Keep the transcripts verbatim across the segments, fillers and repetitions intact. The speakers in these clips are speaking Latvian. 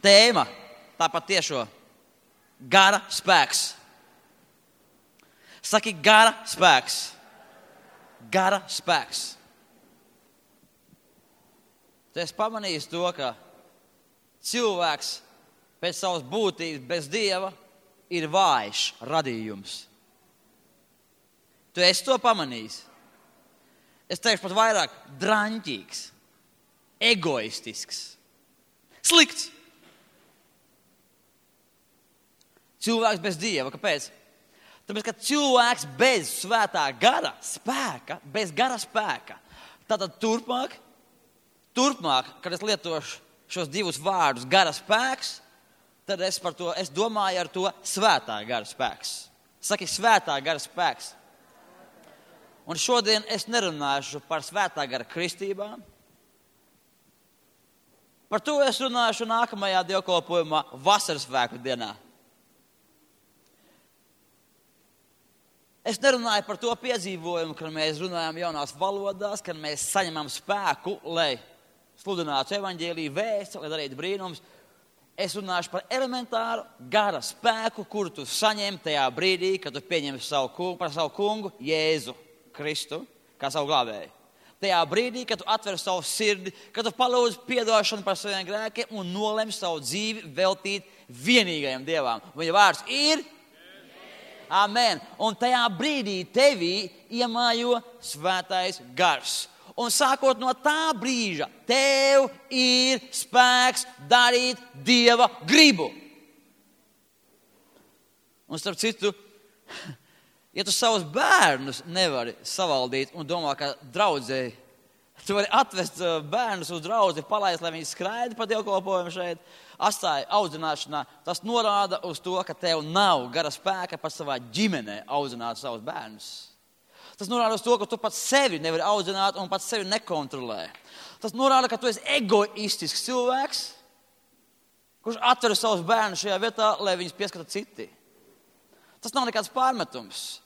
tēma, tāpat tiešo, gara spēks. Saki, gara spēks. Gara spēks. Tu esi pamanījis to, ka cilvēks pēc savas būtības bez Dieva ir vājš radījums. Tu esi to pamanījis. Es teikšu pat vairāk draņķīgs, egoistisks, slikts. Cilvēks bez Dieva. Kāpēc? Tāpēc, ka cilvēks bez svētā gara spēka, bez gara spēka, tātad turpmāk, turpmāk, kad es lietošu šos divus vārdus gara spēks, tad es par to, es domāju ar to svētā gara spēks. Saki, svētā gara spēks. Un šodien es nerunāšu par svētā gara kristībām. Par to es runāšu nākamajā dievkalpojumā vasaras svētku dienā. Es nerunāju par to piedzīvojumu, kad mēs runājam jaunās valodās, kad mēs saņemam spēku, lai sludinātu evaņģēliju vēsti, lai darītu brīnums. Es runāšu par elementāru gara spēku, kuru tu saņem tajā brīdī, kad tu pieņem savu kungu, par savu kungu Jēzu Kristu, kā savu glābēju. Tajā brīdī, kad tu atver savu sirdi, kad tu palūdz piedošanu par saviem grēkiem un nolem savu dzīvi veltīt vienīgajam Dievam. Viņa vārds ir Amen. Un tajā brīdī tevī iemājo svētais gars. Un sākot no tā brīža, tev ir spēks darīt Dieva gribu. Un starp citu, ja tu savus bērnus nevari savaldīt un domā, ka draudzēji, tu vari atvest bērnus uz draudzi, palaist, lai viņi skraida pa dievkalpojumu šeit, atstāja audzināšanā. Tas norāda uz to, ka tev nav gara spēka pat savā ģimenē audzināt savus bērnus. Tas norāda uz to, ka tu pats sevi nevari audzināt un pats sevi nekontrolē. Tas norāda, ka tu esi egoistisks cilvēks, kurš atver savus bērnus šajā vietā, lai viņus pieskata citi. Tas nav nekāds pārmetums.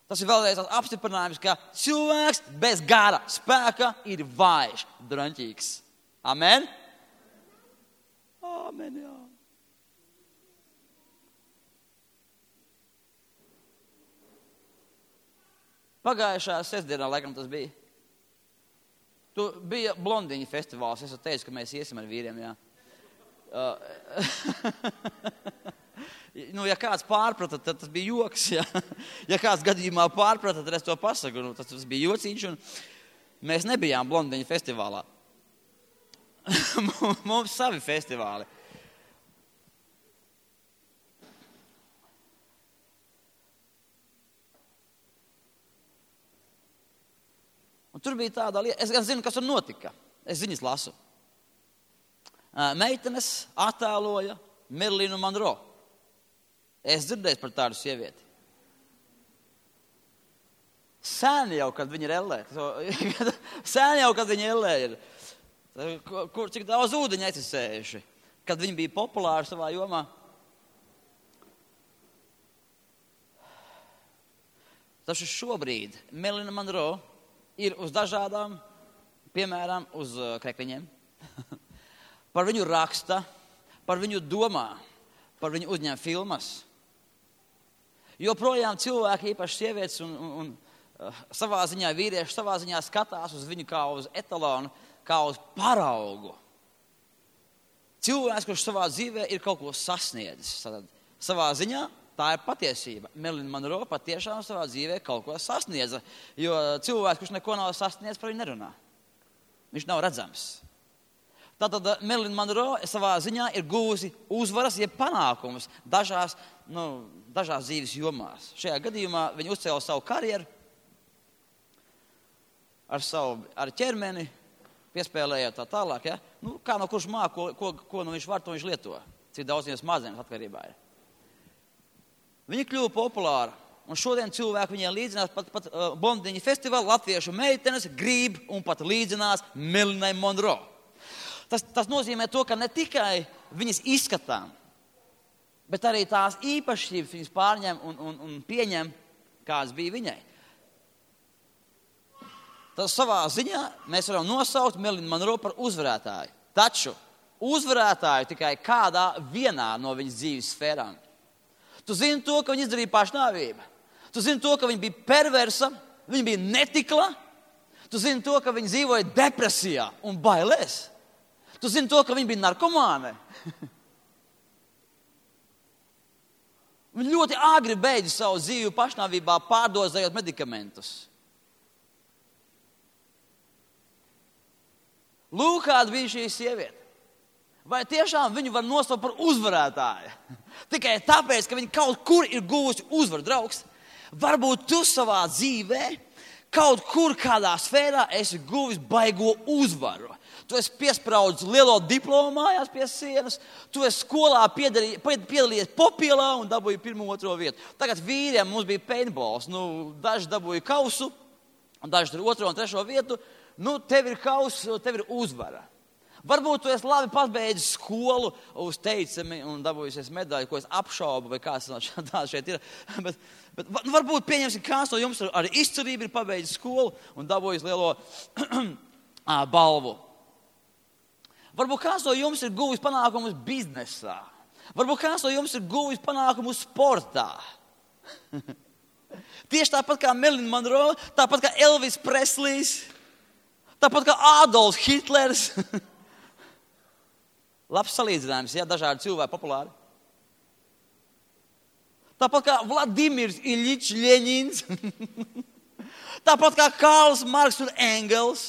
Tas ir vēlreiz apstiprinājums, ka cilvēks bez gara spēka ir vājš, draņķīgs. Amen? Amen, jā. Pagājušā sestdienā, laikam tas bija. Tu bija blondiņu festivāls. Es teicu, ka mēs iesim ar vīriem, jā. Uh, nu, ja kāds pārprata, tad tas bija joks, jā. Ja kāds gadījumā pārprata, tad es to pasaku. Nu, tas, tas bija jociņš, un mēs nebijām blondiņu festivālā. Mums savi festivāli. Un tur bija tāda lieta, es gan zinu, kas tur notika. Es ziņas lasu. Meitenes attēloja Merlinu Monroe. Es dzirdēju par tādu sievieti. Sen jau, kad viņa ir ellē. Sen jau, kad viņa ellē ir. Kur, cik daudz ūdeņa aizsējuši. Kad viņi bija populāri savā jomā. Taču šobrīd Merlina Monroe ir uz dažādām, piemēram, uz krekliņiem. Par viņu raksta, par viņu domā, par viņu uzņem filmas. Joprojām cilvēki, īpaši sievietes un, un, un uh, savā ziņā vīrieši, savā ziņā skatās uz viņu kā uz etalonu, kā uz paraugu. Cilvēks, kurš savā dzīvē ir kaut ko sasniedzis. Tad, savā ziņā tā ir patiesība. Merlina Monroe patiešām savā dzīvē kaut ko sasniedza, jo cilvēks, kurš neko nav sasniedzis, par viņu nerunā. Viņš nav redzams. Tātad Merlina Monroe savā ziņā ir guvusi uzvaras, jeb panākumus dažās, nu, dažās dzīves jomās. Šajā gadījumā viņa uzcēla savu karjeru ar savu ar ķermeni, piespēlējot tā tālāk. Ja? Nu, kā no kurš māk, ko, ko, ko nu viņš var, to viņš lieto. Cik daudz viņas mazienas atkarībā ir. Viņa kļuva populāra, un šodien cilvēki viņai līdzinās pat, pat uh, blondiņu festivālu, latviešu meitenes grib un pat līdzinās Merlinai Monroe. Tas, tas nozīmē to, ka ne tikai viņas izskatām, bet arī tās īpašības viņas pārņem un, un, un pieņem, kāds bija viņai. Tas savā ziņā mēs varam nosaukt Merlinu Monroe par uzvarētāju. Taču uzvarētāju tikai kādā vienā no viņas dzīves sfērām. Tu zini to, ka viņa izdarīja pašnāvību. Tu zini to, ka viņa bija perversa, viņa bija netikla. Tu zini to, ka viņa dzīvoja depresijā un bailēs. Tu zini to, ka viņa bija narkomāne. Viņa ļoti āgri beidza savu dzīvi pašnāvībā, pārdozējot medikamentus. Lūk, kāda bija šī sieviete. Vai tiešām viņu var nosaukt par uzvarētāju? Tikai tāpēc, ka viņa kaut kur ir guvusi uzvaru, draugs. Varbūt tu savā dzīvē kaut kur kādā sfērā esi guvis baigo uzvaru. Tu esi piespraudis lielo diplomu mājās pie sienas, tu esi skolā piedalījies popielā un dabūji pirmo otro vietu. Tagad vīriem mums bija paintballs, nu, daži dabūja kausu, un daži tur otro un trešo vietu. Nu, tev ir kauss, tev ir uzvara. Varbūt tu esi labi pabeidzis skolu uz teicami un dabūjusies medaļu, ko es apšaubu, vai kāds tā šeit ir. Bet, bet nu, varbūt pieņemsim, kāds no jums ar izcerību ir pabeidzis skolu un dabūjis lielo balvu. Varbūt kāds no jums ir guvis panākumus biznesā. Varbūt kāds no jums ir guvis panākumus sportā. Tieši tāpat kā Marilyn Monroe, tāpat kā Elvis Preslijs, tāpat kā Adolfs Hitlers. Labs salīdzinājums, ja, dažādi cilvēki populāri. Tāpat kā Vladimirs Iļičs Ļeņins. Tāpat kā Karls Marks un Engels.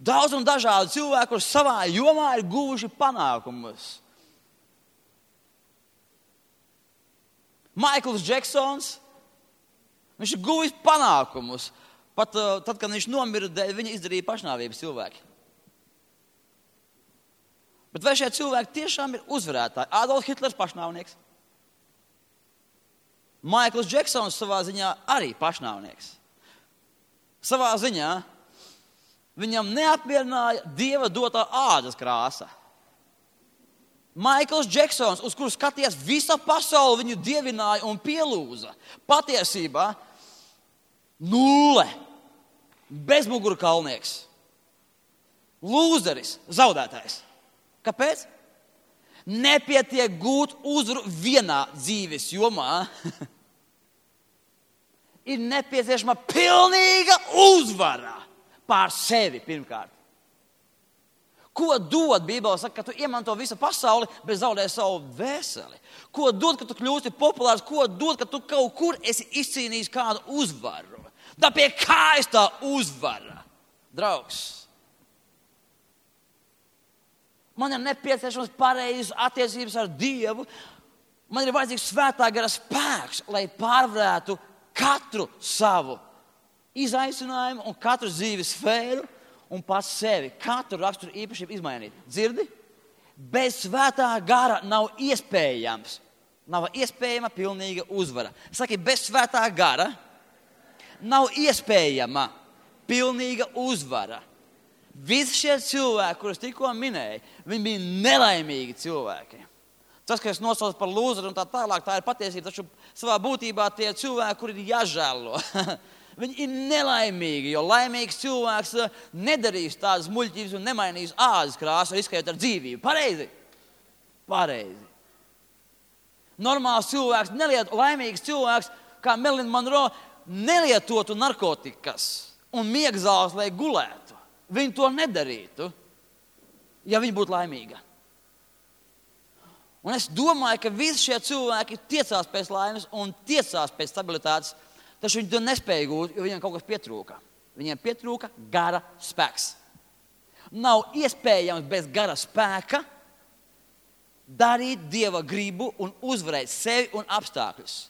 Daudz un dažādi cilvēki, kurus savā jomā ir guvuši panākumus. Maikls Džeksons, viņš ir guvis panākumus. Pat uh, tad, kad viņš nomira, viņa izdarīja pašnāvības cilvēki. Bet vai šie cilvēki tiešām ir uzvarētāji? Adolfs Hitlers pašnāvnieks. Maikls Džeksons savā ziņā arī pašnāvnieks. Savā ziņā viņam neapmierināja Dieva dotā ādas krāsa. Maikls Džeksons, uz kuru skaties visa pasaule, viņu dievināja un pielūza. Patiesībā nulle. Bezmugurkalnieks. Lūzeris, zaudētājs. Kāpēc? Nepietiek gūt uzvaru vienā dzīves jomā. Ir nepieciešama pilnīga uzvara pār sevi pirmkārt. Ko dod? Bībele saka, ka tu iemanto visu pasauli, bet zaudē savu dvēseli. Ko dod, ka tu kļūsti populārs? Ko dod, ka tu kaut kur esi izcīnījis kādu uzvaru? Tā pie kājas tā uzvara, draugs. Man ir nepieciešams pareizas attiecības ar Dievu. Man ir vajadzīgs svētā gara spēks, lai pārvarētu katru savu izaicinājumu un katru dzīves sfēru un pats sevi. Katru raksturu īpašību izmainīt. Dzirdi? Bez svētā gara nav iespējams. Nav iespējama pilnīga uzvara. Saki, bez svētā gara nav iespējama pilnīga uzvara. Visi šie cilvēki, kurus tikko minēju, viņi bija nelaimīgi cilvēki. Tas, ka es nosaucu par lūzeru un tā tālāk, tā ir patiesība, taču savā būtībā tie cilvēki, kuri ir jāžēlo. Viņi ir nelaimīgi, jo laimīgs cilvēks nedarīs tādas muļķības un nemainīs ādas krāsu, riskējot ar dzīvību. Pareizi? Pareizi. Normāls cilvēks, neliet, laimīgs cilvēks, kā Marilyn Monroe, nelietotu narkotikas un miegzāles, lai gulētu. Viņi to nedarītu, ja viņi būtu laimīga. Un es domāju, ka visi šie cilvēki tiecās pēc laimes un tiecās pēc stabilitātes, taču viņi to nespēja gūt, jo viņiem kaut kas pietrūka. Viņiem pietrūka gara spēks. Nav iespējams bez gara spēka darīt Dieva gribu un uzvarēt sevi un apstākļus.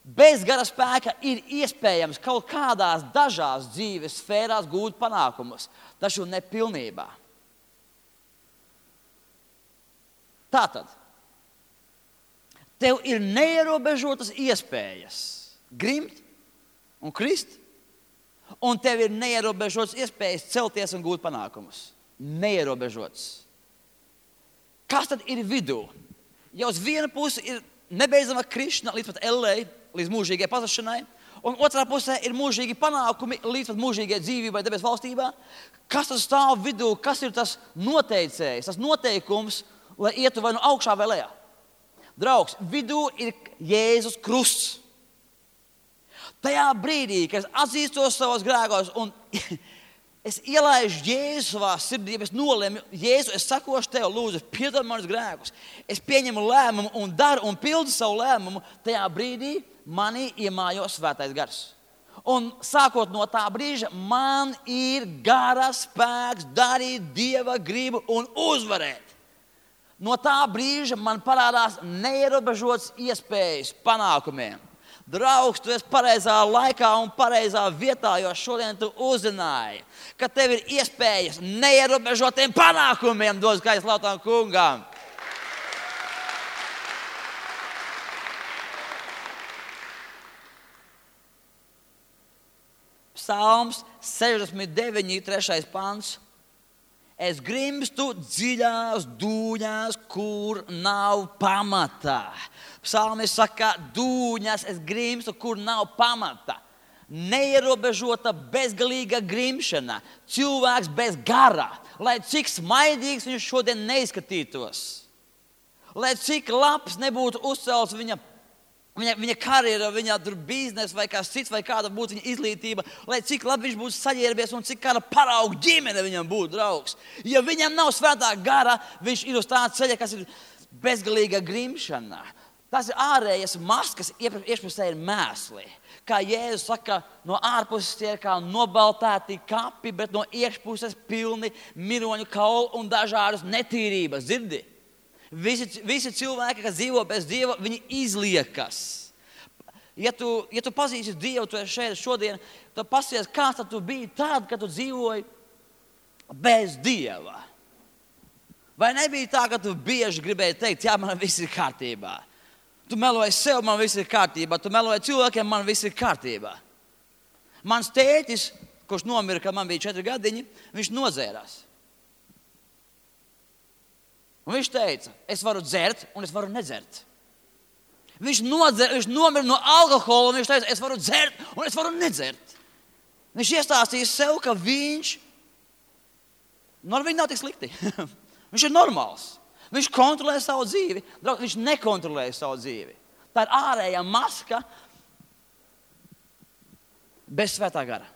Bez gara spēka ir iespējams kaut kādās dažās dzīves sfērās gūt panākumus, taču nepilnībā. Tātad, tev ir neierobežotas iespējas grimt un krist, un tev ir neierobežotas iespējas celties un gūt panākumus. Neierobežotas. Kas tad ir vidū? Ja uz vienu pusi ir nebeidzama krišana līdz pat ellei, līdz mūžīgai pazušanai, Un otrā pusē ir mūžīgi panākumi līdz pat mūžīgai dzīvībai debes valstībā. Kas tas stāv vidū, kas ir tas noteicējs, tas noteikums, lai ietu vai nu augšā vai lejā? Draugs, vidū ir Jēzus krusts. Tajā brīdī, kad es atzīstos savos grēkos un es ielaižu Jēzu savā sirdī, es nolēmu, Jēzu, es sakošu tev, lūdzu, piedod manus grēkus. Es pieņemu lēmumu un daru un pildu savu lēmumu. Tajā brīdī manī iemājo svētais gars. Un sākot no tā brīža, man ir gara spēks darīt Dieva gribu un uzvarēt. No tā brīža man parādās neierobežotas iespējas panākumiem. Draugs, tu esi pareizā laikā un pareizā vietā, jo šodien tu uzzināji, ka tev ir iespējas neierobežotiem panākumiem dot skaļu slavu tam kungam. Psalms sešdesmit deviņi, trešais pants. Es grimstu dziļās dūņās, kur nav pamata. Psalmis saka, dūņas es grimstu, kur nav pamata. Neierobežota, bezgalīga grimšana. Cilvēks bez gara. Lai cik smaidīgs viņš šodien neizskatītos. Lai cik labs nebūtu uzcelts viņa Viņa, viņa karjera, viņa biznesa vai kāds cits, vai kāda būtu viņa izglītība, lai cik labi viņš būtu saģērbies un cik kāda parauga ģimene viņam būtu draugs. Ja viņam nav svētā gara, viņš ir uz tāda ceļa, kas ir bezgalīga grimšana. Tas ir ārējas maskas, iekšpusē ir mēsli. Kā Jēzus saka, no ārpuses tie ir kā nobaltēti kapi, bet no iekšpuses pilni miroņu kaulu un dažādas netīrības. Dzirdi? Visi, visi cilvēki, kas dzīvo bez Dieva, viņi izliekas. Ja tu, ja tu pazīsti Dievu, tu esi šeit šodien, tad pasies, kāds tad tu biji tad, kad tu dzīvoji bez Dieva. Vai nebija tā, ka tu bieži gribēji teikt, jā, man viss ir kārtībā. Tu meloji sev, man viss ir kārtībā. Tu meloji cilvēkiem, man viss ir kārtībā. Mans tētis, kurš nomira, kad man bija četri gadiņi, viņš nozērās. Un viņš teica, es varu dzert un es varu nedzert. Viņš, nodzer, viņš nomira no alkohola un viņš teica, es varu dzert un es varu nedzert. Viņš iestāstīja sev, ka viņš, nu ar viņu nav tik slikti. Viņš ir normāls. Viņš kontrolē savu dzīvi. Draug, viņš nekontrolē savu dzīvi. Tā ir ārējā maska bez svētā gara.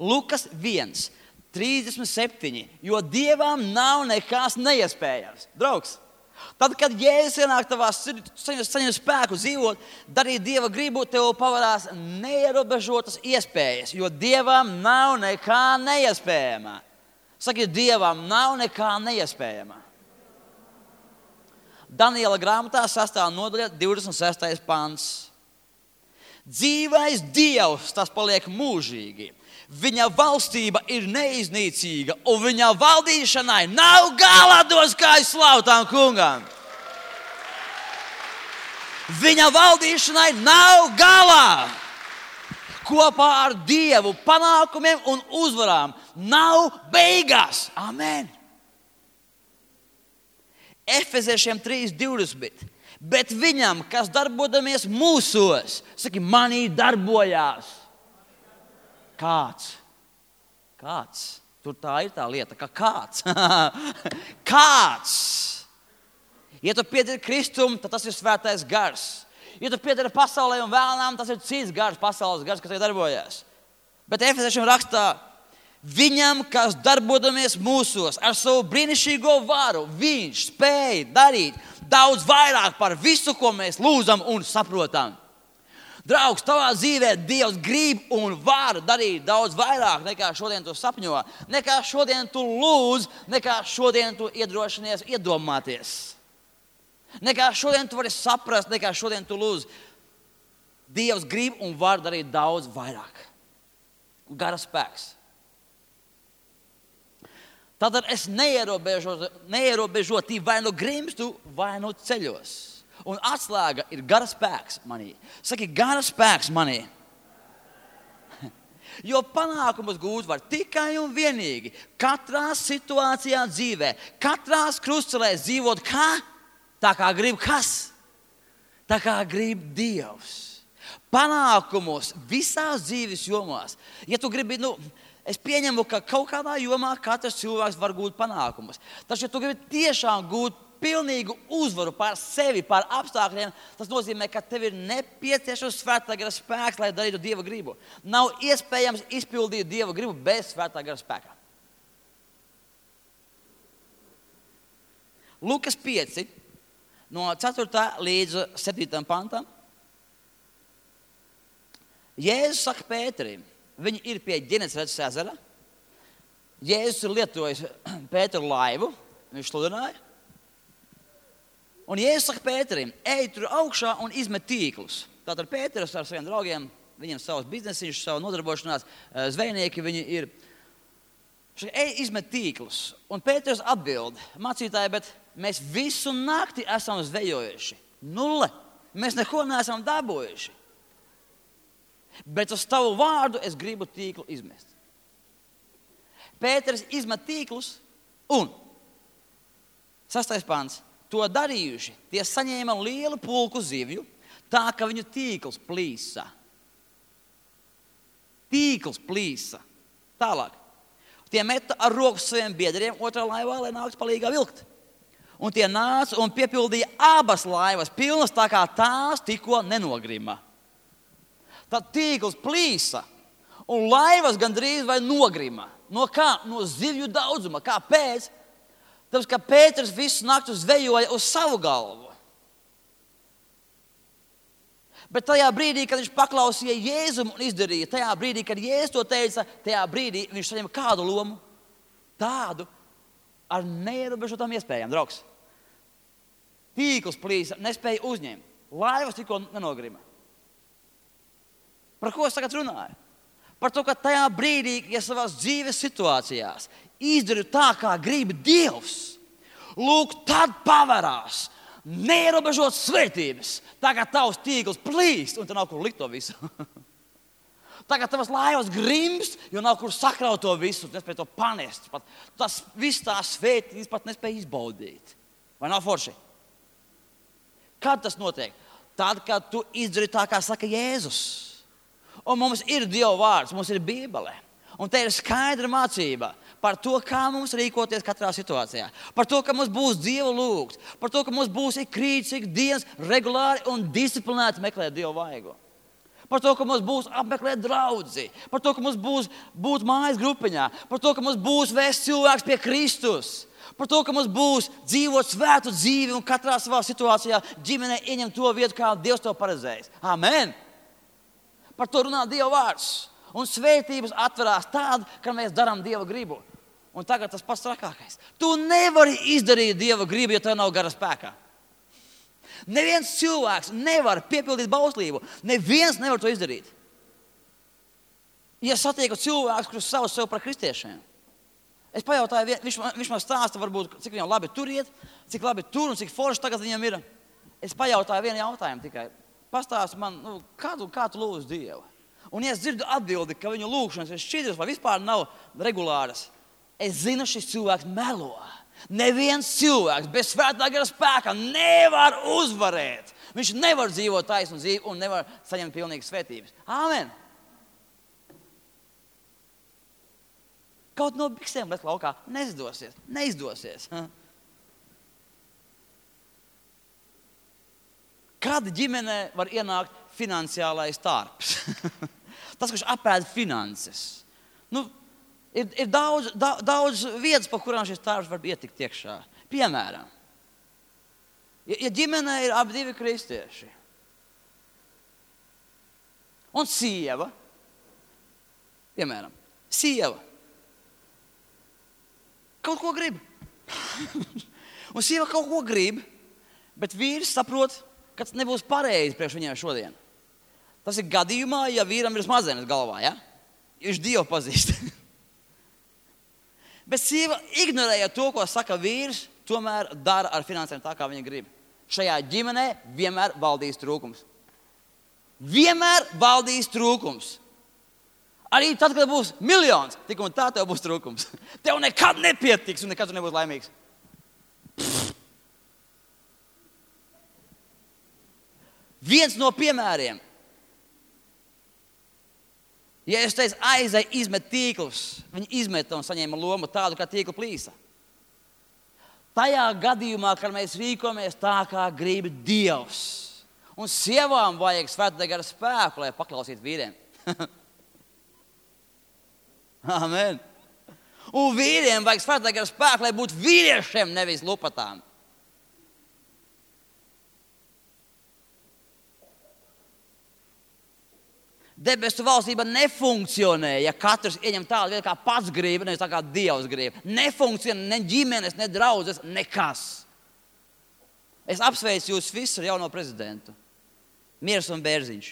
Lukas viens. trīsdesmit septiņi, jo Dievam nav nekas neiespējams. Draugs, tad, kad Jēzus ienāk tavā sirdī, saņem spēku dzīvot, darīt Dieva gribu, tev pavarās neierobežotas iespējas, jo Dievam nav nekā neiespējamā. Saki, Dievam nav nekā neiespējamā. Daniela grāmatā sastā nodaļa divdesmit sestais pants. Dzīvais Dievs, tas paliek mūžīgi. Viņa valstība ir neiznīcīga, un viņa valdīšanai nav gala, dod skaļu slavu tam kungam. Viņa valdīšanai nav gala. Kopā ar Dievu panākumiem un uzvarām nav beigas. Amen. Efeziešiem trīs divdesmit. Bet viņam, kas darbodamies mūsos, saki, manī darbojās. Kāds? Kāds? Tur tā ir tā lieta, ka kāds. Kāds? Ja tu piederi Kristum, tad tas ir svētais gars. Ja tu piederi pasaulē un vēlnām, tas ir cits gars, pasaules gars, kas te darbojas. Bet Efeziešiem rakstā, viņam, kas darbodamies mūsos ar savu brīnišķīgo varu, viņš spēja darīt daudz vairāk par visu, ko mēs lūdzam un saprotam. Draugs, tavā dzīvē Dievs grib un var darīt daudz vairāk nekā šodien tu sapņo, nekā šodien tu lūdz, nekā šodien tu iedrošinies iedomāties. Nekā šodien tu vari saprast, nekā šodien tu lūdz. Dievs grib un var darīt daudz vairāk. Gara spēks. Tātad es neierobežoti, neierobežoti vai nu grimstu, vai nu ceļos. Un atslēga ir gara spēks manī. Saki, gara spēks manī. Jo panākumus gūt var tikai un vienīgi katrā situācijā dzīvē, katrās krustcelēs dzīvot kā? Tā kā grib kas? Tā kā grib Dievs. Panākumus visās dzīves jomās. Ja tu gribi, nu, es pieņemu, ka kaut kādā jomā katrs cilvēks var gūt panākumus. Taču, ja tu gribi tiešām gūt pilnīgu uzvaru pār sevi, pār apstākļiem, tas nozīmē, ka tev ir nepieciešams svētā gara spēks, lai darītu Dieva gribu. Nav iespējams izpildīt Dieva gribu bez svētā gara spēka. Lukas pieci, no ceturtā līdz septītam pantam. Jēzus saka Pēterim, viņi ir pie Ģenesaretes ezera. Jēzus ir lietojis Pēteru laivu, viņš sludināja. Un Jēzus saka Pēterim, ej tur augšā un izmet tīklus. Tātad Pēters ar saviem draugiem, viņiem savs biznesiņš, savu nodarbošanās, zvejnieki viņi ir. Viņš saka, ej izmet tīklus. Un Pēters atbild, mācītāji, bet mēs visu nakti esam zvejojuši. Nulle. Mēs neko neesam dabūjuši. Bet uz tavu vārdu es gribu tīklu izmest. Pēters izmet tīklus un sastais pants. To darījuši, tie saņēma lielu pulku zivju, tā ka viņu tīkls plīsa. Tīkls plīsa. Tālāk. Tie meta ar roku saviem biedriem otrā laivā, lai nāktu palīgā vilkt. Un tie nāca un piepildīja abas laivas, pilnas tā kā tās tikko nenogrima. Tad tīkls plīsa un laivas gandrīz vai nogrima. No kā? No zivju daudzuma. Kāpēc? Tāpēc, ka Pēters visu naktu zvejoja uz savu galvu. Bet tajā brīdī, kad viņš paklausīja Jēzum un izdarīja, tajā brīdī, kad Jēzus to teica, tajā brīdī viņš saņem kādu lomu? Tādu ar neierobežotām iespējām, draugs. Tīkls plīsa, nespēja uzņemt. Laivas tikko nenogrima. Par ko es tagad runāju? Par to, ka tajā brīdī, ja savās dzīves situācijās izdari tā, kā grib Dievs, lūk, tad pavarās neierobežot svētības. Tagad tavs tīkls plīst, un te nav kur likt to visu. Tagad tavas laivas grimst, jo nav kur sakraut to visu, nespēj to panest. Pat tas viss tās svētības pat nespēj izbaudīt. Vai nav forši? Kad tas notiek? Tad, kad tu izdari tā, kā saka Jēzus. Un mums ir Dieva vārds, mums ir Bībele. Un te ir skaidra mācība par to, kā mums rīkoties katrā situācijā. Par to, ka mums būs Dievu lūgt. Par to, ka mums būs ik rīts, ik dienas regulāri un disciplinēti meklēt Dievu vaigu. Par to, ka mums būs apmeklēt draudzi. Par to, ka mums būs būt mājas grupiņā. Par to, ka mums būs vēst cilvēks pie Kristus. Par to, ka mums būs dzīvot svētu dzīvi un katrā savā situācijā ģimenē ieņem to vietu, kā Dievs to paredzējis. Amen! Par to runā Dieva vārds. Un svētības atverās tāda, ka mēs darām Dieva gribu. Un tagad tas pats trakākais. Tu nevari izdarīt Dieva gribu, ja tev nav gara spēkā. Neviens cilvēks nevar piepildīt bauslību. Neviens nevar to izdarīt. Ja satieku cilvēkus, kurus sauc sev par kristiešiem, es pajautāju, viņš, viņš man stāsta, varbūt, cik viņam labi tur iet, cik labi tur un cik forši tagad viņam ir. Es pajautāju vienu jautājumu tikai. Pastāsti man, nu, kā, tu, kā tu lūdz Dievu? Un ja es dzirdu atbildi, ka viņu lūgšanas ir šķidras vai vispār nav regulāras, es zinu, šis cilvēks melo. Neviens cilvēks bez svētā gara spēka nevar uzvarēt. Viņš nevar dzīvot taisnu dzīvi un nevar saņemt pilnīgas svētības. Āmen! Kaut no biksēm bet laukā neizdosies. Neizdosies. Kad ģimenē var ienākt finansiālais tārps? Tas, kurš apēd finanses. Nu, ir ir daudz, daudz, daudz vietas, pa kurām šis tārps var ietikt iekšā. Piemēram, ja, ja ģimenē ir ap divi kristieši un sieva, piemēram, sieva kaut ko grib. Un sieva kaut ko grib, bet vīrs saprot, ka tas nebūs pareizi priekš viņiem šodien. Tas ir gadījumā, ja vīram ir smadzenes galvā, ja? Viņš Dievu pazīst. Bet sieva ignorēja to, ko saka vīrs, tomēr dara ar finansēm tā, kā viņa grib. Šajā ģimenē vienmēr valdīs trūkums. Vienmēr valdīs trūkums. Arī tad, kad būs miljons, tik un tā tev būs trūkums. Tev nekad nepietiks un nekad tu nebūs laimīgs. Viens no piemēriem Ja es teicu, aizai, izmet tīklus, viņi izmeta un saņēma lomu tādu, kā tīkla plīsa. Tajā gadījumā, kad mēs rīkojamies tā, kā grib Dievs. Un sievām vajag svētā gara spēku, lai paklausītu vīriem. Amen. Un vīriem vajag svētā gara spēku, lai būtu vīriešiem, nevis lupatām. Debesu valstība nefunkcionē, ja katrs ieņem tādu vietu, kā pats grib, nevis tā kā Dievs grib. Nefunkcionē ne ģimenes, ne draudzes, nekas. Es apsveicu jūs visus ar jauno prezidentu. Miers un Bērziņš.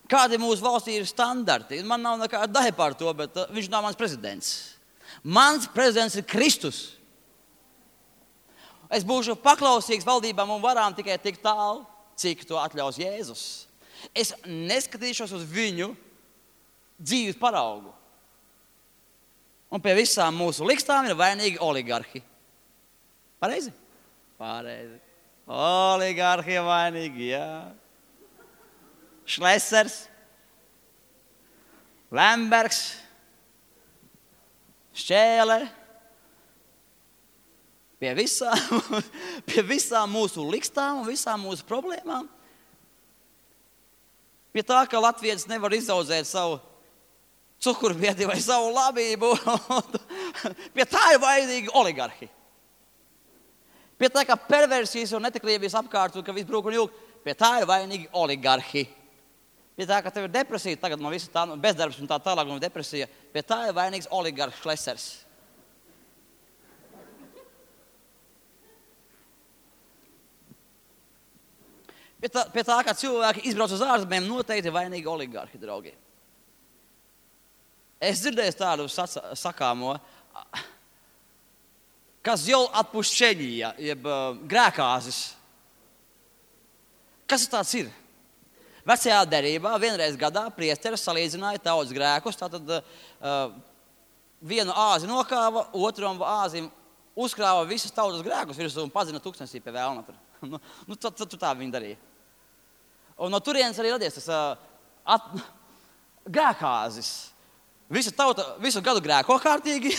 Kādi mūsu valstī ir standarti? Man nav nekāda daļa par to, bet uh, viņš nav mans prezidents. Mans prezidents ir Kristus. Es būšu paklausīgs valdībām un varām tikai tik tālu, cik to atļaus Jēzus. Es neskatīšos uz viņu dzīves paraugu. Un pie visām mūsu likstām ir vainīgi oligarhi. Pareizi? Pareizi. Oligarhi ir vainīgi, jā. Šlesers, Lembergs, Šķēle. Pie visām, pie visām mūsu likstām un visām mūsu problēmām. Pie tā, ka latvietis nevar izaudzēt savu cukurbiedi vai savu labību. Pie tā ir vainīgi oligarhi. Pie tā, ka perversijas un netiklības apkārt un ka viss brūk un jūk, pie tā ir vainīgi oligarhi. Pie tā, ka tev ir depresija tagad no visa tā, bezdarbs un tā tālāk no depresija, pie tā ir vainīgs oligarhs Šlesers. Pie tā, pie tā, ka cilvēki izbrauc uz ārzemēm, noteikti ir vainīgi oligarhi, draugi. Es dzirdēju tādu sakāmo, kas jau atpušķeņīja, jeb uh, grēkāzis. Kas tāds ir? Vecajā derībā vienreiz gadā priesteris salīdzināja tautas grēkus, tātad uh, vienu āzi nokāva, otram āzim uzkrāva visas tautas grēkus virsū un padzina tūkstnesī pie vēlna. nu, nu, tad, tad tā viņi darīja. Un no turienes arī radies tas uh, at, grēkāzis. Visa tauta visu gadu grēko kārtīgi.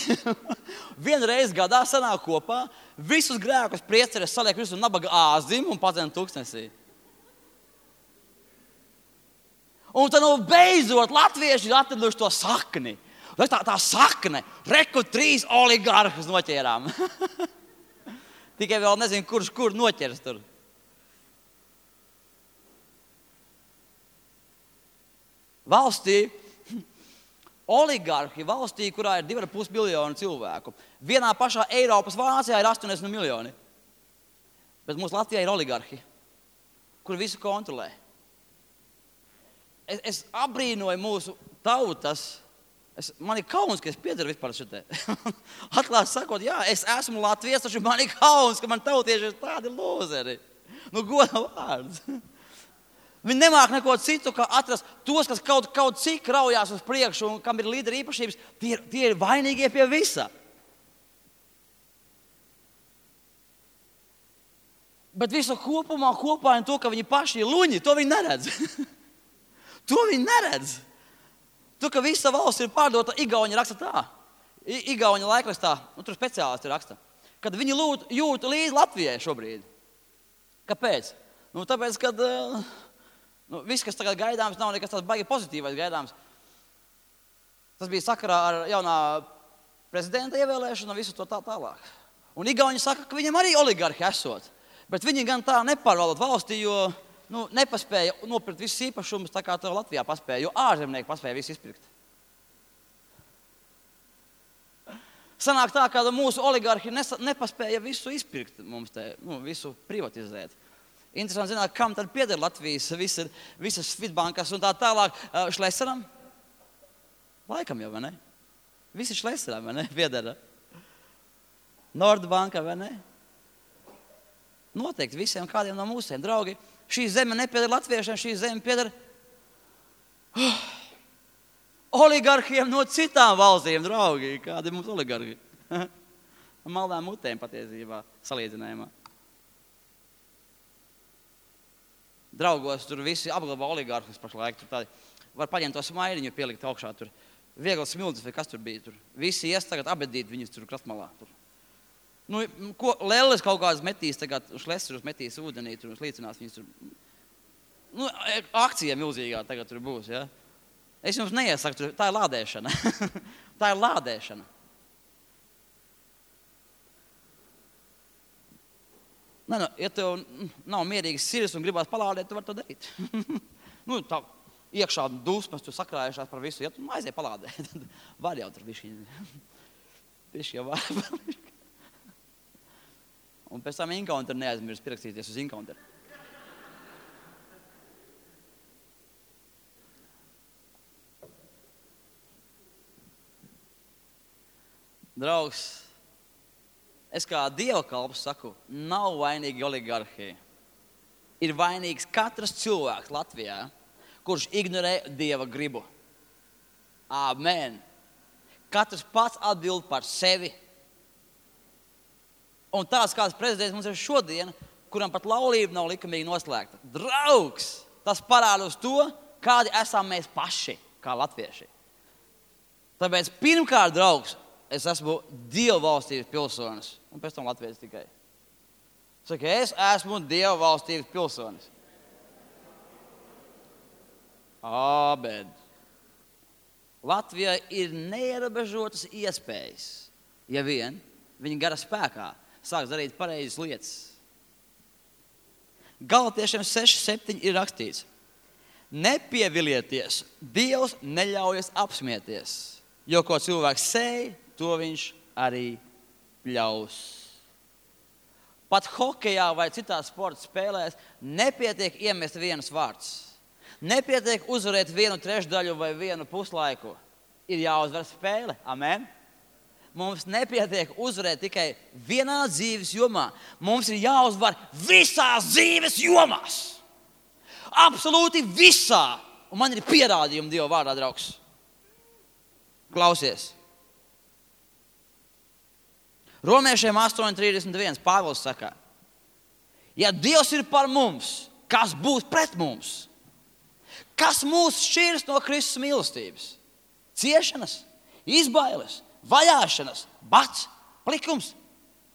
Vienreiz gadā sanāk kopā, visus grēkus priesteris saliek visu nabaga āzim un padzina tūkstnesī. Un tad nu beidzot latvieši ir atraduši to sakni. Tā, tā sakne, reku trīs oligarhus noķērām. Tikai vēl nezinu, kurš kur noķers tur. Valstī, oligarhi valstī, kurā ir divi ar pus miljoni cilvēku. Vienā pašā Eiropas Vācijā ir astoņdesmit miljoni. Bet mūsu Latvijā ir oligarhi, kuri visu kontrolē. Es, es abrīnoju mūsu tautas. Es, man ir kauns, ka es piederu vispār šitē. Atklāt sakot, jā, es esmu Latvijas, taču man ir kauns, ka man tautieši ir tādi lūzeri. Nu, goda vārds. Viņi nemāk neko citu, kā atrast tos, kas kaut, kaut cik raujās uz priekšu un kam ir līderi īpašības, tie, tie ir vainīgie pie visa. Bet visu kopumā kopā un to, ka viņi paši ir luņi, to viņi neredz. To viņi neredz. To, ka visa valsts ir pārdota, Igauņi raksta tā. I, Igauņa laikrakstā, nu tur speciālisti raksta, kad viņi lūt, jūt līdz Latvijai šobrīd. Kāpēc? Nu, tāpēc, kad uh, nu, viss, kas tagad gaidāms, nav nekas tāds baigi pozitīvais gaidāms. Tas bija sakarā ar jaunā prezidenta ievēlēšanu un visu to tā tālāk. Un Igauņi saka, ka viņam arī oligarhi esot. Bet viņi gan tā nepārvaldot valstī, jo nu, nepaspēja nopirkt visus īpašumus, tā kā to Latvijā paspēja, jo ārzemnieki paspēja visu izpirkt. Sanāk tā, ka mūsu oligarhi nesa, nepaspēja visu izpirkt mums te, nu, visu privatizēt. Interesanti zināt, kam tad pieder Latvijas visa, visas Svitbankas un tā tālāk. Šleseram? Laikam jau, vai ne? Visi Šleseram, vai ne? Piedara. Nordbanka, vai ne? Noteikti visiem kādiem no mūsiem, draugi. Šī zeme nepieder latviešiem, šī zeme pieder oh, oligarhiem no citām valstīm, draugi. Kādi mums oligarhi? Maldām mutēm patiesībā salīdzinājumā. draugos, tur visi apglabā oligarhus pašlaik. Tur tādi, var paņemt to smaidiņu, pielikt augšā. Tur viegli smildzes vai kas tur bija. Tur visi ies tagad abedīt viņus tur krastmalā. Tur. Nu, ko Lelles kaut kādas metīs tagad, šleserus metīs ūdenī tur un slīcinās viņus tur. Nu, akcija milzīgā tagad tur būs, ja? Es jums neiesaku, tur, tā ir lādēšana. Tā ir lādēšana. Nē, nu, ja tev nav mierīgas sirds un gribās palādēt, tu vari to darīt. Nu, tā iekšā dusmas, tu sakrājušās par visu, ja tu aizies palādēt, var jau tur bišķiņi. Bišķi jau var. Un pēc tam Encounter neaizmirst pierakstīties uz Encounter. Draugs, es kā Dieva kalps saku, nav vainīgi oligarhija. Ir vainīgs katrs cilvēks Latvijā, kurš ignorē Dieva gribu. Āmen. Katrs pats atbild par sevi. Un tāds kāds prezidents mums ir šodien, kuram pat laulība nav likumīgi noslēgta. Draugs, tas parāda uz to, kādi esam mēs paši, kā latvieši. Tāpēc pirmkārt, draugs, es esmu Dieva valstības pilsonis, un pēc tam latvietis tikai. Saka, es esmu Dieva valstības pilsonis. Āmen. Latvijai ir neierobežotas iespējas, ja vien viņa gara spēkā sāks darīt pareizas lietas. Galatiešiem seši septiņi ir rakstīts. Nepievilieties, Dievs neļaujas apsmieties, jo ko cilvēks sēj, to viņš arī pļaus. Pat hokejā vai citās sporta spēlēs nepietiek iemest vienus vārds. Nepietiek uzvarēt vienu trešdaļu vai vienu puslaiku. Ir jāuzvar spēle. Amen. Mums nepietiek uzvarēt tikai vienā dzīves jomā. Mums ir jāuzvar visās dzīves jomās. Absolūti visā. Un man ir pierādījumi Dieva vārdā, draugs. Klausies. Romiešiem astoņi trīsdesmit viens Pāvils saka, ja Dievs ir par mums, kas būs pret mums? Kas mūs šķirs no Kristus mīlestības? Ciešanas, izbailes, vajāšanas, bats, plikums,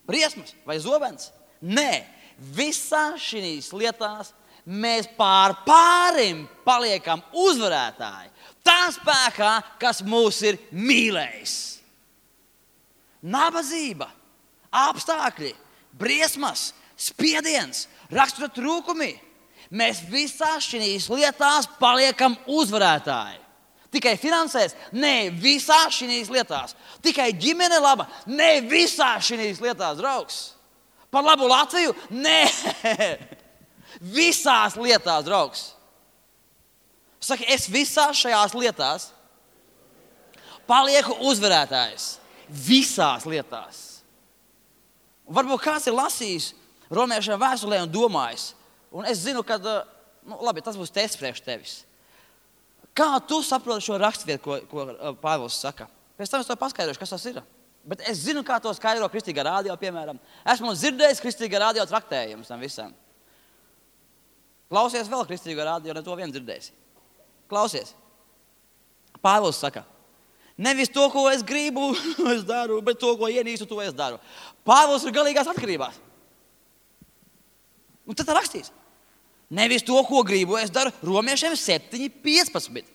briesmas vai zobens? Nē, visās šīs lietās mēs pār pārim paliekam uzvarētāji. Tā spēkā, kas mūs ir mīlējis. Nabadzība, apstākļi, briesmas, spiediens, rakstura trūkumi. Mēs visās šīs lietās paliekam uzvarētāji. Tikai finansēs? Nē, visās šīs lietās. Tikai ģimene laba? Nē, visās šīs lietās, draugs. Par labu Latviju? Nē, visās lietās, draugs. Saka, es visās šajās lietās palieku uzvarētājs. Visās lietās. Varbūt kāds ir lasījis Romiešiem vēstulē un domājis, un es zinu, ka, nu, labi, tas būs tests priekš tevis. Kā tu saproti šo rakstvietu, ko, ko Pāvils saka? Pēc tam es to paskaidrošu, kas tas ir. Bet es zinu, kā to skaidro Kristīgā radio, piemēram. Esmu dzirdējis Kristīgā radio traktējumus tam visam. Klausies vēl Kristīgā radio, ne to vien dzirdēsi. Klausies. Pāvils saka, nevis to, ko es gribu, es daru, bet to, ko ienīstu, to es daru. Pāvils ir galīgās atkarībās. Un tad tā rakstīs. Nevis to, ko gribu, es daru. Romiešiem septiņi piecpadsmit.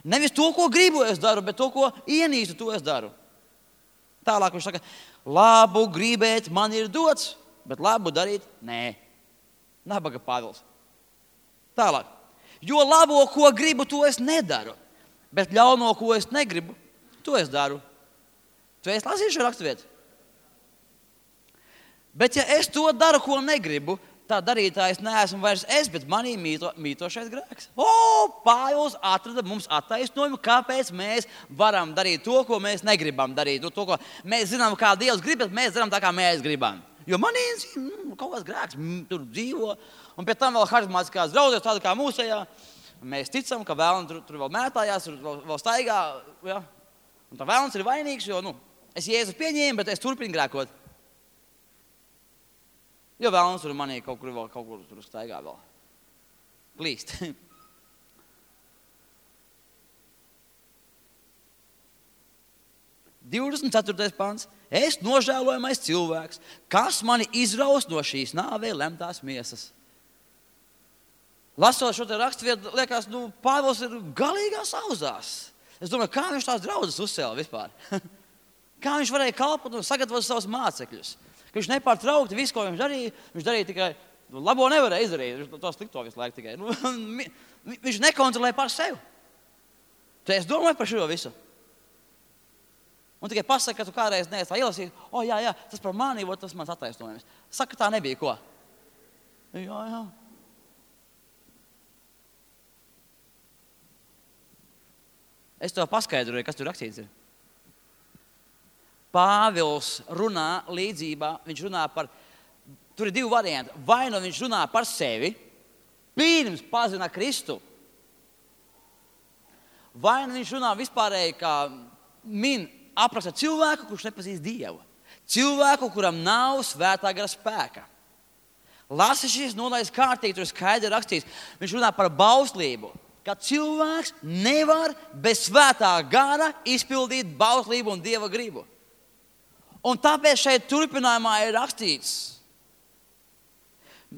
Nevis to, ko gribu, es daru, bet to, ko ienīstu, to es daru. Tālāk viņš saka, labu gribēt man ir dots, bet labu darīt nē. Nabaga Pāvils. Tālāk. Jo labo, ko gribu, to es nedaru, bet ļauno, ko es negribu, to es daru. Tu esi lasījis šo raksturvietu? Bet ja es to daru, ko negribu, tā darītājs neesmu vairs es, bet manī mīto, mītošais grēks. O, Pāvils atrada mums attaisnojumu, kāpēc mēs varam darīt to, ko mēs negribam darīt. To, ko mēs zinām, kā Dievs grib, bet mēs zinām tā, kā mēs gribam. Jo manī mm, kaut kāds grēks mm, tur dzīvo. Un pēc tam vēl harizmātiskās draudzes, tāda kā mūsējā. Mēs ticam, ka vēlns tur, tur vēl mētājās, tur vēl, vēl staigā. Ja? Un tā vēlns ir vainīgs, jo nu, es Jēzu pieņēmu, bet es turpinu grēkot. Jo vēlns tur manī kaut kur vēl kaut kur tur staigā vēl. klīst. divdesmit ceturtais pants. Es nožēlojamais cilvēks, kas mani izraus no šīs nāvei lemtās miesas. Lasot šo te raksturvietu, liekas, nu, Pāvils ir galīgās auzās. Es domāju, kā viņš tās draudzes uzcēla vispār? Kā viņš varēja kalpot un sagatavot savus mācekļus? Ka viņš nepārtraukti visu, ko viņš darīja, viņš darīja tikai, nu, labo nevarēja izdarīt, viņš to slikto visu laiku tikai. Nu, viņš nekontrolēja par sevi. Tu es domāju par šo visu. Un tikai pasaka, ka tu kādreiz neesi tā ielasījis, o, jā, jā, tas par mani, tas mans attaisnojums. Saka, tā nebija, ko? Jā, jā. Es to paskaidroju, kas tur rakstīts ir. Pāvils runā līdzībā, viņš runā par, tur ir divi varianti. Vai nu viņš runā par sevi, pirms pazina Kristu, vai nu viņš runā vispārēji, kā min apraksta cilvēku, kurš nepazīst Dievu. Cilvēku, kuram nav svētā gara spēka. Lasi šīs nodaļas kārtīgi, tur skaidri rakstīts. Viņš runā par bauslību, ka cilvēks nevar bez svētā gara izpildīt bauslību un Dieva gribu. Un tāpēc šeit turpinājumā ir rakstīts,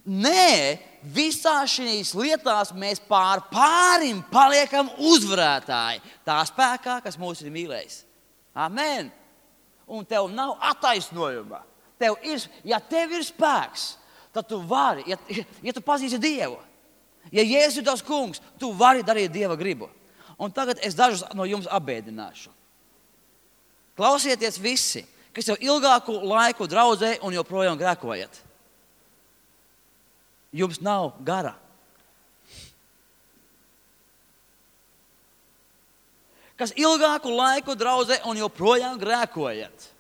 nē, visā šīs lietās mēs pār pārim paliekam uzvarētāji. Tā spēkā, kas mūs ir mīlējis. Amen. Un tev nav attaisnojuma. Tev ir, ja tev ir spēks, tad tu vari, ja, ja tu pazīsti Dievu, ja Jēzus ir tavs kungs, tu vari darīt Dieva gribu. Un tagad es dažus no jums apbēdināšu. Klausieties visi, kas jau ilgāku laiku draudzē un joprojām grēkojat. Jums nav gara. Kas ilgāku laiku draudzē un joprojām grēkojat.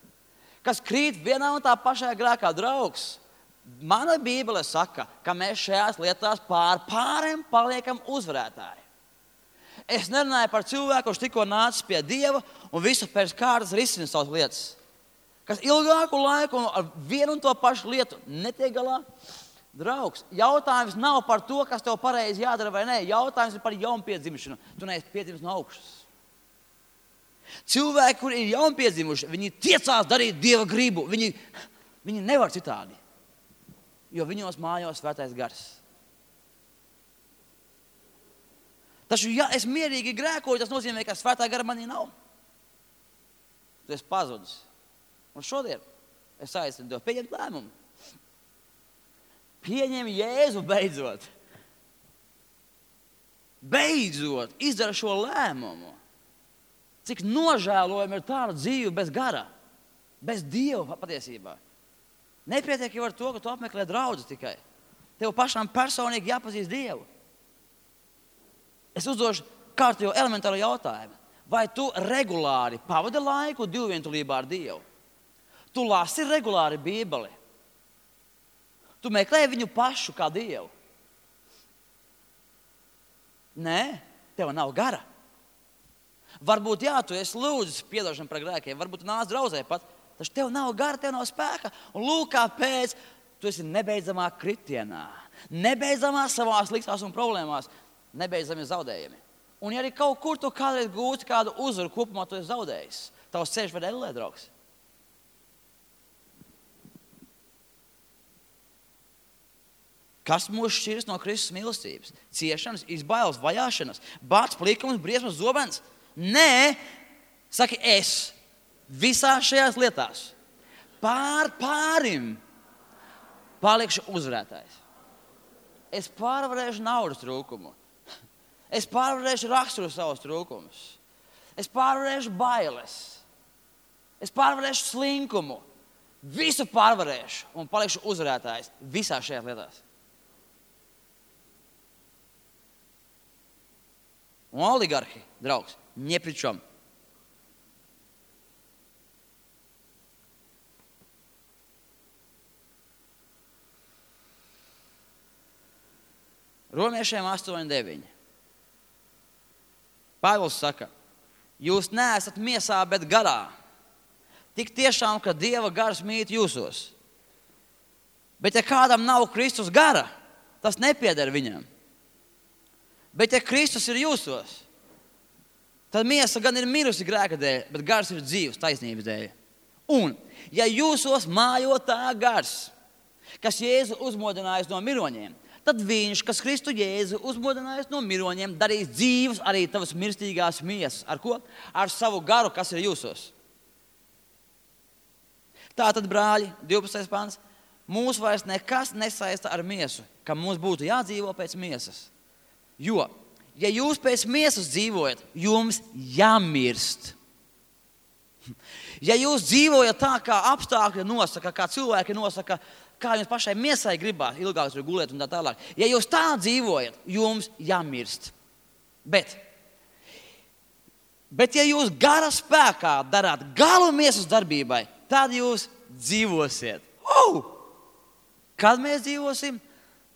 Kas krīt vienā un tā pašā grēkā, draugs. Mana Bībele saka, ka mēs šajās lietās pār pāriem paliekam uzvarētāji. Es nerunāju par cilvēku, kurš tikko nācis pie Dieva un visu pēc kārtas risina savas lietas. Kas ilgāku laiku un ar vienu un to pašu lietu netiek galā. Draugs, jautājums nav par to, kas tev pareizi jādara vai nē. Jautājums ir par jaunpiedzimšanu. Tu neesi piedzimis no augšas. Cilvēki, kuri ir jaunpiedzimuši, viņi tiecās darīt Dieva gribu. Viņi, viņi nevar citādi, jo viņos mājās svētais gars. Taču, ja es mierīgi grēkoju, tas nozīmē, ka svētā gara manī nav. Tu esi pazudis. Un šodien es aicinu tev pieņemt lēmumu. Pieņem Jēzu beidzot. Beidzot izdara šo lēmumu. Cik nožēlojami ir tāda dzīve bez gara, bez Dieva patiesībā. Nepietiek jau ar to, ka tu apmeklē draudzi tikai. Tev pašām personīgi jāpazīst Dievu. Es uzdošu kārtējo elementāru jautājumu. Vai tu regulāri pavadi laiku divvientulībā ar Dievu? Tu lasi regulāri Bībeli. Tu meklē viņu pašu kā Dievu. Nē, tev nav gara. Varbūt, jā, tu esi lūdzis piedošanu par grēkiem, varbūt tu nāc draudzē pat, taču tev nav gara, tev nav spēka. Un lūk, kāpēc tu esi nebeidzamā kritienā, nebeidzamā savās liktās un problēmās, nebeidzami zaudējumi. Un ja arī kaut kur tu kādreiz gūti kādu uzvaru, kopumā tu esi zaudējis, tavs ceļš ved ellē, draugs. Kas mūs šķiras no Kristus mīlestības? Ciešanas, izbailes, vajāšanas, bāds, plikums, briesmas, zobens? Nē, saki es, visās šajās lietās, pār pārim palikšu uzvarētājs. Es pārvarēšu naudas trūkumu. Es pārvarēšu raksturu savus trūkumus. Es pārvarēšu bailes. Es pārvarēšu slinkumu. Visu pārvarēšu un palikšu uzvarētājs visās šajās lietās. Un oligarhi, draugs, не при чем. Romiešiem astoņi deviņi. Pāvils saka, jūs neesat miesā, bet garā. Tik tiešām, ka Dieva gars mīt jūsos. Bet ja kādam nav Kristus gara, tas nepieder viņam. Bet ja Kristus ir jūsos, tad miesa gan ir mirusi grēka dēļ, bet gars ir dzīvs taisnības dēļ. Un, ja jūsos mājo tā gars, kas Jēzu uzmodinājis no miroņiem, tad viņš, kas Kristu Jēzu uzmodinājis no miroņiem, darīs dzīvus arī tavas mirstīgās miesas. Ar ko? Ar savu garu, kas ir jūsos. Tātad, brāļi, divpadsmitais pants, mūs vairs nekas nesaista ar miesu, ka mums būtu jādzīvo pēc miesas. Jo, ja jūs pēc miesas dzīvojat, jums jāmirst. Ja jūs dzīvojat tā, kā apstākļi nosaka, kā cilvēki nosaka, kā jums pašai miesai gribās, ilgāk tur gulēt un tā tālāk. Ja jūs tā dzīvojat, jums jāmirst. Bet, bet ja jūs gara spēkā darāt galu miesas darbībai, tad jūs dzīvosiet. Uh! Kad mēs dzīvosim?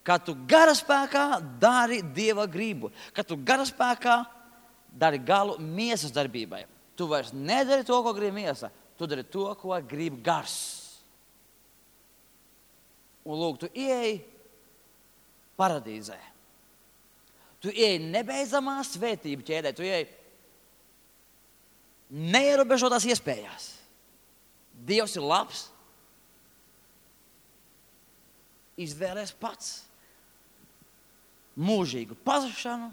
Kad tu gara spēkā dari Dieva gribu. Kad tu gara spēkā dari galu miesas darbībai. Tu vairs nedari to, ko grib miesa. Tu dari to, ko grib gars. Un lūk, tu ieej paradīzē. Tu ieej nebeidzamā svētību ķēdē. Tu ieej neierobežotās iespējās. Dievs ir labs. Izvēlēs pats mūžīgu pazušanu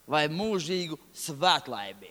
vai mūžīgu svētlaimi.